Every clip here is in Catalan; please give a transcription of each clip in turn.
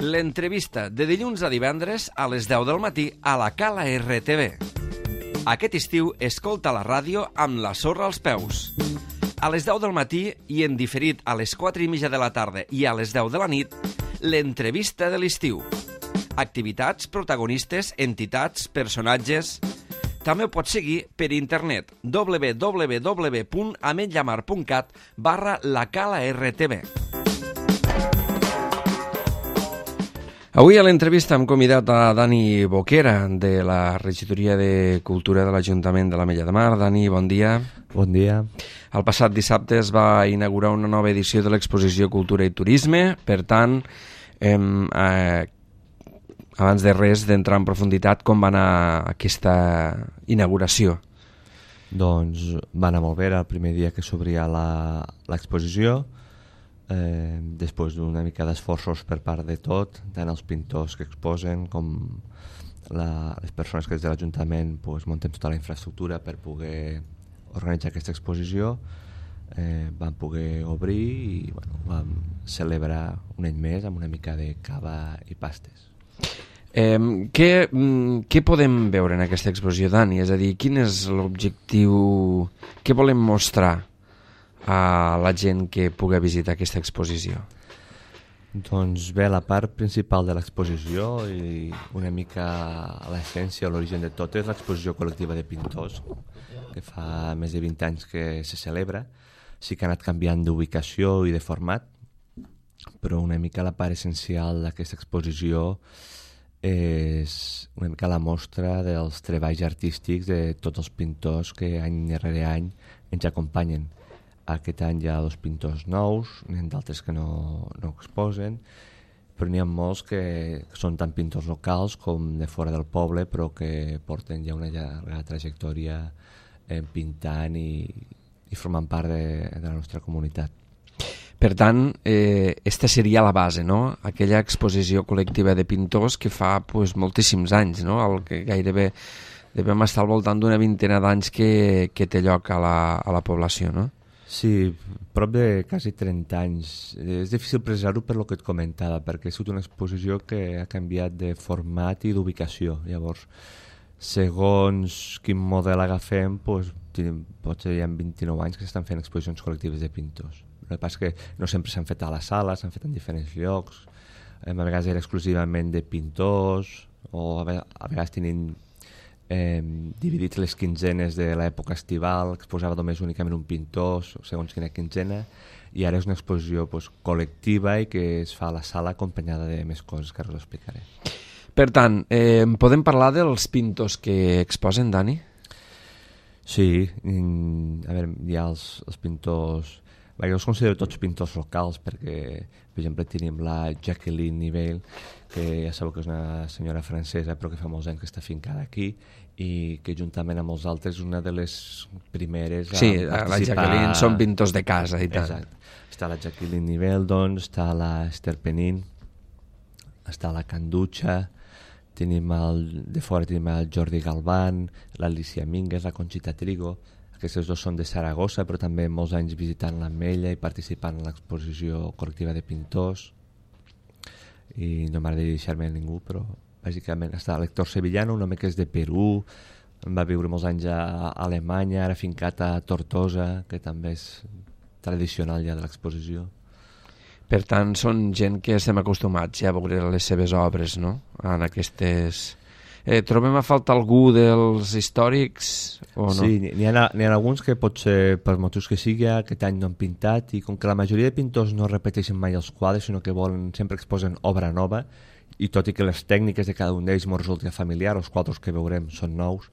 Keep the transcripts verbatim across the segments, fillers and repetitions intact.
l'entrevista de dilluns a divendres a les deu del matí a la Cala R T V. Aquest estiu escolta la ràdio amb la sorra als peus. A les deu del matí i en diferit a les quatre i mitja de la tarda i a les deu de la nit, l'entrevista de l'estiu. Activitats, protagonistes, entitats, personatges... També ho pots seguir per internet w w w punt ametlllamar punt cat barra la cala R T V. Avui a l'entrevista hem convidat a Dani Boquera, de la Regidoria de Cultura de l'Ajuntament de l'Ametlla de Mar. Dani, bon dia. Bon dia. El passat dissabte es va inaugurar una nova edició de l'exposició Cultura i Turisme. Per tant, hem... Eh, abans de res, d'entrar en profunditat, com va anar aquesta inauguració? Doncs va anar molt bé, era el primer dia que s'obria l'exposició, eh, després d'una mica d'esforços per part de tot, tant els pintors que exposen com la, les persones que des de l'Ajuntament pues, muntem tota la infraestructura per poder organitzar aquesta exposició. Eh, vam poder obrir i bueno, vam celebrar un any més amb una mica de cava i pastes. Eh, què, què podem veure en aquesta exposició, Dani? És a dir, quin és l'objectiu, què volem mostrar a la gent que pugui visitar aquesta exposició? Doncs bé, la part principal de l'exposició i una mica l'essència, l'origen de tot és l'exposició col·lectiva de pintors, que fa més de vint anys que se celebra. Sí que ha anat canviant d'ubicació i de format, però una mica la part essencial d'aquesta exposició és una mica la mostra dels treballs artístics de tots els pintors que any rere any ens acompanyen. Aquest any hi ha dos pintors nous, n'hi ha d'altres que no, no exposen, però n'hi ha molts que són tant pintors locals com de fora del poble, però que porten ja una llarga trajectòria eh, pintant i, i formant part de, de la nostra comunitat. Per tant, eh, esta seria la base, no? Aquella exposició col·lectiva de pintors que fa pues, moltíssims anys, no? El que gairebé devem estar al voltant d'una vintena d'anys que, que té lloc a la, a la població, no? Sí, prop de quasi trenta anys. És difícil precisar-ho per lo que et comentava, perquè ha sigut una exposició que ha canviat de format i d'ubicació. Llavors, segons quin model agafem, doncs, potser hi ha vint-i-nou anys que s'estan fent exposicions col·lectives de pintors. El que passa és que no sempre s'han fet a la sala, s'han fet en diferents llocs, a vegades era exclusivament de pintors, o a vegades tenien eh, dividits les quinzenes de l'època estival, exposava només únicament un pintor, segons quina quinzena, i ara és una exposició pues, col·lectiva i que es fa a la sala acompanyada de més coses que ara us explicaré. Per tant, eh, podem parlar dels pintors que exposen, Dani? Sí, a veure, hi ha els, els pintors... Jo els considero tots pintors locals perquè, per exemple, tenim la Jacqueline Nivelle, que ja sabeu que és una senyora francesa però que fa molts anys que està fincada aquí i que juntament amb els altres és una de les primeres a sí, participar... la Jacqueline són pintors de casa i tant. Exacte. Està la Jacqueline Nivelle, doncs, està la Esther Penin, està la Canducha, tenim el, de fora tenim el Jordi Galván, l'Alicia Mingues, la Conchita Trigo. Aquests dos són de Saragossa, però també molts anys visitant l'Ametlla i participant en l'exposició col·lectiva de pintors. I no m'agradaria deixar-me a ningú, però bàsicament està l'Héctor Sevillano, un home que és de Perú, va viure molts anys a Alemanya, ara fincat a Tortosa, que també és tradicional ja de l'exposició. Per tant, són gent que estem acostumats ja a veure les seves obres, no? En aquestes... Eh, trobem a falta algú dels històrics o no? Sí, n'hi ha, n'hi ha alguns que potser per motius que sigui aquest any no han pintat i com que la majoria de pintors no repeteixen mai els quadres sinó que volen, sempre exposen obra nova i tot i que les tècniques de cada un d'ells m'ho resulta familiar, els quadres que veurem són nous,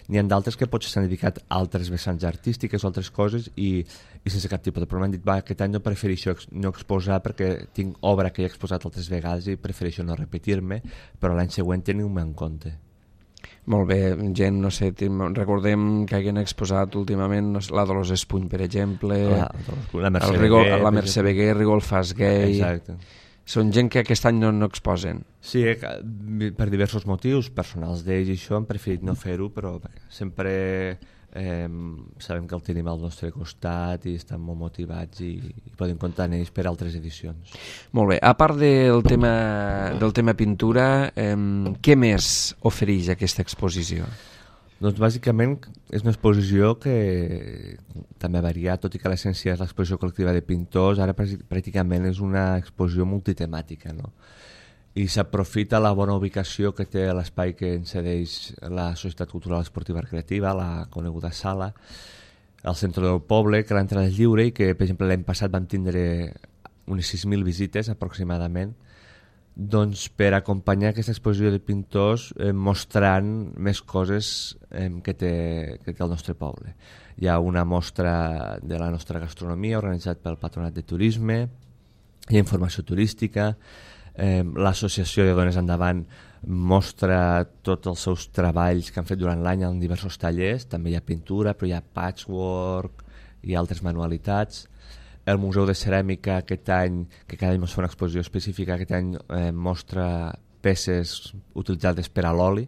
n'hi ha d'altres que potser s'han dedicat a altres vessants artístiques o altres coses i, i sense cap tipus de problema han dit, va, aquest any no prefereixo no exposar perquè tinc obra que he exposat altres vegades i prefereixo no repetir-me, però l'any següent teniu-me en compte. Molt bé, gent, no sé, recordem que hagin exposat últimament no sé, la Dolors Espuny, per exemple, la, la Mercè Rigol, Beguer, la Mercè Beguer, Rigol Fasguei... Exacte. Són gent que aquest any no, no exposen. Sí, per diversos motius personals d'ells i això han preferit no fer-ho, però sempre eh, sabem que el tenim al nostre costat i estan molt motivats i, i podem comptar en ells per altres edicions. Molt bé, a part del tema, del tema pintura, eh, què més ofereix aquesta exposició? Doncs bàsicament és una exposició que també ha variat, tot i que l'essència és l'exposició col·lectiva de pintors, ara pràcticament és una exposició multitemàtica, no? I s'aprofita la bona ubicació que té l'espai que ens cedeix la Societat Cultural Esportiva Recreativa, la coneguda sala, al centre del poble, que l'entrada és lliure i que, per exemple, l'any passat vam tindre unes sis mil visites aproximadament, doncs per acompanyar aquesta exposició de pintors eh, mostrant més coses eh, que, té, que té el nostre poble. Hi ha una mostra de la nostra gastronomia organitzat pel Patronat de Turisme, hi ha informació turística, eh, l'associació de Dones Endavant mostra tots els seus treballs que han fet durant l'any en diversos tallers, també hi ha pintura, però hi ha patchwork i altres manualitats. El Museu de Ceràmica aquest any, que cada any ens fa una exposició específica, aquest any eh, mostra peces utilitzades per a l'oli,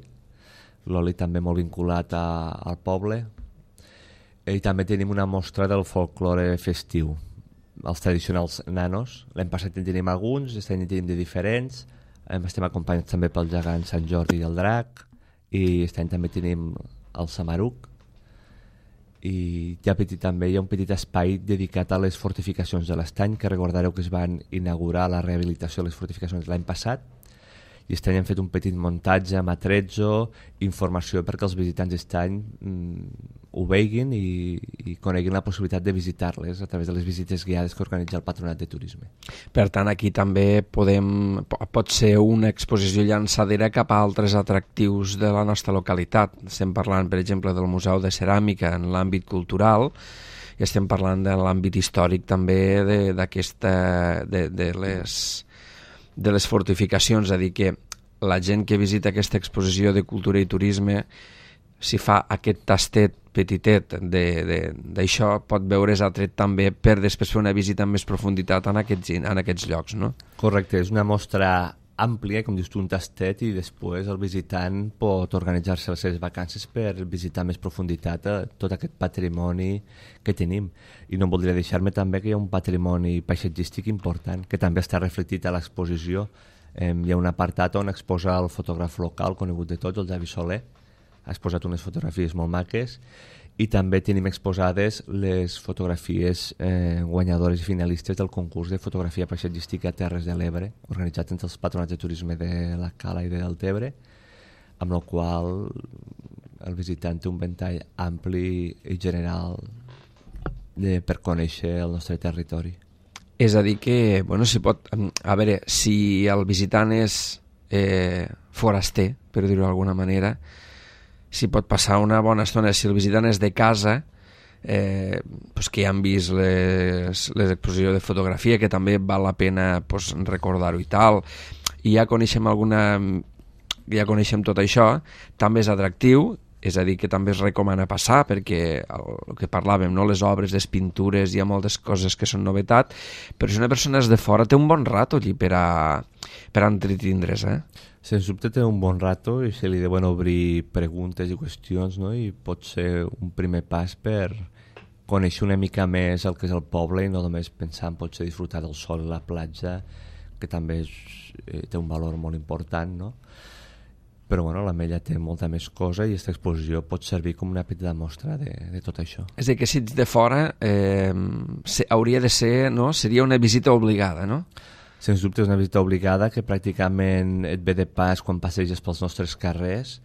l'oli també molt vinculat a, al poble, i també tenim una mostra del folklore festiu, els tradicionals nanos. L'any passat en tenim alguns, aquest any en tenim de diferents, estem acompanyats també pel gegant Sant Jordi i el Drac, i aquest any també tenim el Samaruc, i hi ha, petit, també hi ha un petit espai dedicat a les fortificacions de l'Estany, que recordareu que es van inaugurar la rehabilitació de les fortificacions l'any passat, i aquest any hem fet un petit muntatge amb atrezzo, informació perquè els visitants d'Estany mm, ho veguin i, i coneguin la possibilitat de visitar-les a través de les visites guiades que organitza el Patronat de Turisme. Per tant, aquí també podem, pot ser una exposició llançadera cap a altres atractius de la nostra localitat. Estem parlant, per exemple, del Museu de Ceràmica en l'àmbit cultural, i estem parlant de l'àmbit històric també d'aquesta, de, de les... de les fortificacions, és a dir, que la gent que visita aquesta exposició de cultura i turisme, si fa aquest tastet petitet d'això, pot veure's atret també per després fer una visita amb més profunditat en aquests, en aquests llocs, no? Correcte, és una mostra àmplia, com dius tu, un tastet, i després el visitant pot organitzar-se les seves vacances per visitar més profunditat tot aquest patrimoni que tenim. I no voldria deixar-me també que hi ha un patrimoni paisatgístic important, que també està reflectit a l'exposició. Eh, hi ha un apartat on exposa el fotògraf local conegut de tots, el Javi Soler. Ha exposat unes fotografies molt maques, i també tenim exposades les fotografies eh, guanyadores i finalistes del concurs de fotografia paisatgística Terres de l'Ebre, organitzat entre els patronats de turisme de la Cala i de Deltebre, amb la qual el visitant té un ventall ampli i general de, per conèixer el nostre territori. És a dir que, bueno, si pot, a veure, si el visitant és eh, foraster, per dir-ho d'alguna manera, si pot passar una bona estona, si el visitant és de casa, eh, pues que ja han vist les, les exposicions de fotografia, que també val la pena pues, recordar-ho i tal, i ja coneixem alguna, ja coneixem tot això, també és atractiu, és a dir, que també es recomana passar, perquè el, el que parlàvem, no? Les obres, les pintures, hi ha moltes coses que són novetat, però si una persona és de fora té un bon rato allí per a, per a entretindre's, eh? Sens dubte té un bon rato i se li deuen obrir preguntes i qüestions, no? I pot ser un primer pas per conèixer una mica més el que és el poble i no només pensar en potser disfrutar del sol i la platja, que també és, eh, té un valor molt important, no? Però bueno, l'Ametlla té molta més cosa i aquesta exposició pot servir com una petita mostra de, de tot això. És a dir, que si ets de fora eh, se, hauria de ser, no? Seria una visita obligada, no? Sens dubte és una visita obligada que pràcticament et ve de pas quan passeges pels nostres carrers.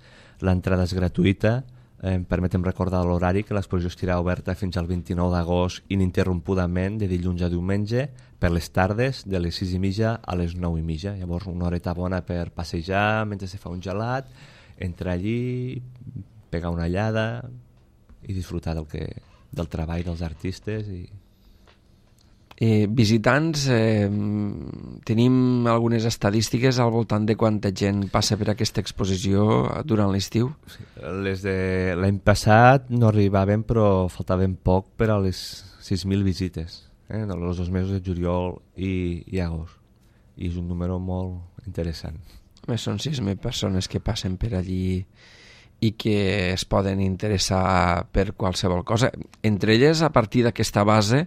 L'entrada és gratuïta. Eh, permetem recordar l'horari que l'exposició estarà oberta fins al vint-i-nou d'agost ininterrompudament de dilluns a diumenge per les tardes de les sis i mitja a les nou i mitja. Llavors una horeta bona per passejar mentre se fa un gelat, entrar allí, pegar una llada i disfrutar del, que, del treball dels artistes. I... Eh, visitants, eh, tenim algunes estadístiques al voltant de quanta gent passa per aquesta exposició durant l'estiu? Sí, les de l'any passat no arribaven, però faltaven poc per a les sis mil visites, eh, en els dos mesos de juliol i, i agost. I és un número molt interessant. Més són sis mil persones que passen per allí i que es poden interessar per qualsevol cosa. Entre elles, a partir d'aquesta base,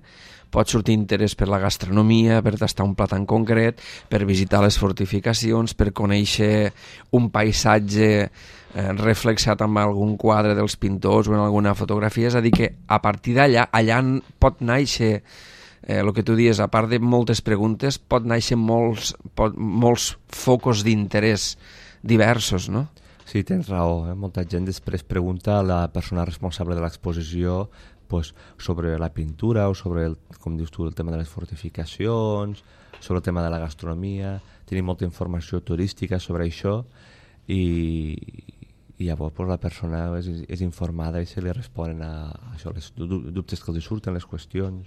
pot sortir interès per la gastronomia, per tastar un plat en concret, per visitar les fortificacions, per conèixer un paisatge eh, reflexat amb algun quadre dels pintors o en alguna fotografia. És a dir, que a partir d'allà, allà pot néixer, eh, el que tu dius, a part de moltes preguntes, pot néixer molts, pot, molts focus d'interès diversos, no? Sí, tens raó. Eh? Molta gent després pregunta a la persona responsable de l'exposició pues, sobre la pintura o sobre, el, com dius tu, el tema de les fortificacions, sobre el tema de la gastronomia. Tenim molta informació turística sobre això i, i llavors pues, la persona és, és informada i se li responen a això, les dubtes que li surten, les qüestions.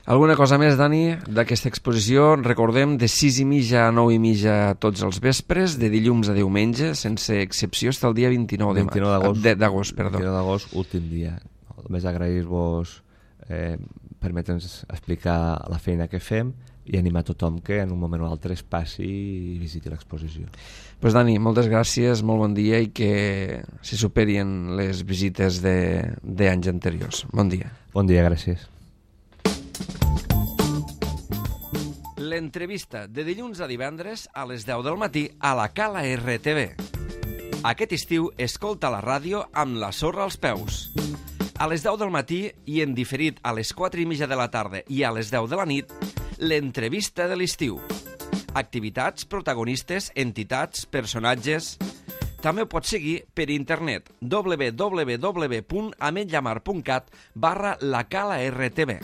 Alguna cosa més, Dani, d'aquesta exposició? Recordem, de sis i mitja a nou i mitja tots els vespres, de dilluns a diumenge, sense excepció, fins al dia vint-i-nou d'agost. vint-i-nou d'agost, últim dia. Només agrair-vos eh, permetre'ns explicar la feina que fem i animar tothom que en un moment o altre es passi i visiti l'exposició. Pues Dani, moltes gràcies, molt bon dia i que se superin les visites d'anys anteriors. Bon dia. Bon dia, gràcies. L'entrevista de dilluns a divendres a les deu del matí a la Cala R T V. Aquest estiu escolta la ràdio amb la sorra als peus. A les deu del matí i en diferit a les quatre i mitja de la tarda i a les deu de la nit, l'entrevista de l'estiu. Activitats, protagonistes, entitats, personatges... També ho pots seguir per internet w w w punt ametlllamar punt cat barra la cala R T V.